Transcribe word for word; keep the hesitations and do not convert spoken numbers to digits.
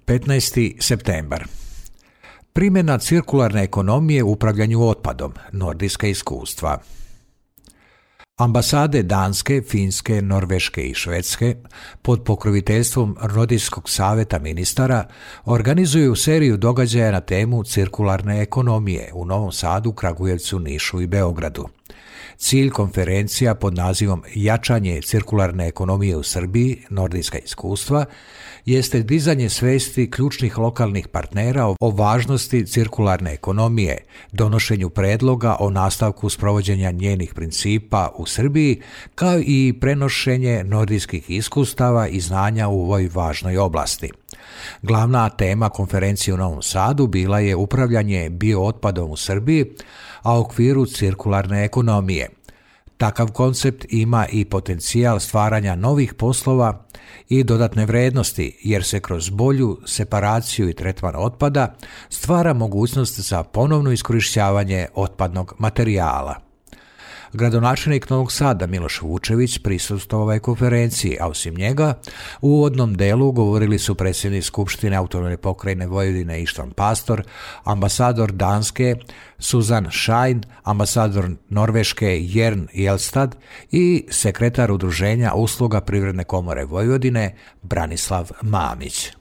petnaesti septembar. Primjena cirkularne ekonomije u upravljanju otpadom, nordijska iskustva. Ambasade Danske, Finske, Norveške i Švedske pod pokroviteljstvom Nordijskog savjeta ministara organizuju seriju događaja na temu cirkularne ekonomije u Novom Sadu, Kragujevcu, Nišu i Beogradu. Cilj konferencija pod nazivom Jačanje cirkularne ekonomije u Srbiji, nordijska iskustva, jeste dizanje svesti ključnih lokalnih partnera o važnosti cirkularne ekonomije, donošenju predloga o nastavku sprovođenja njenih principa u Srbiji, kao i prenošenje nordijskih iskustava i znanja u ovoj važnoj oblasti. Glavna tema konferencije u Novom Sadu bila je upravljanje biootpadom u Srbiji, a u okviru cirkularne ekonomije. Takav koncept ima i potencijal stvaranja novih poslova i dodatne vrednosti, jer se kroz bolju separaciju i tretman otpada stvara mogućnost za ponovno iskorištavanje otpadnog materijala. Gradonačelnik Novog Sada Miloš Vučević prisustvovao je konferenciji, a osim njega u uvodnom delu govorili su predsjednik Skupštine Autonomne pokrajine Vojvodine Ištvan Pastor, ambasador Danske Suzan Schein, ambasador Norveške Jern Jelstad i sekretar Udruženja usluga Privredne komore Vojvodine Branislav Mamić.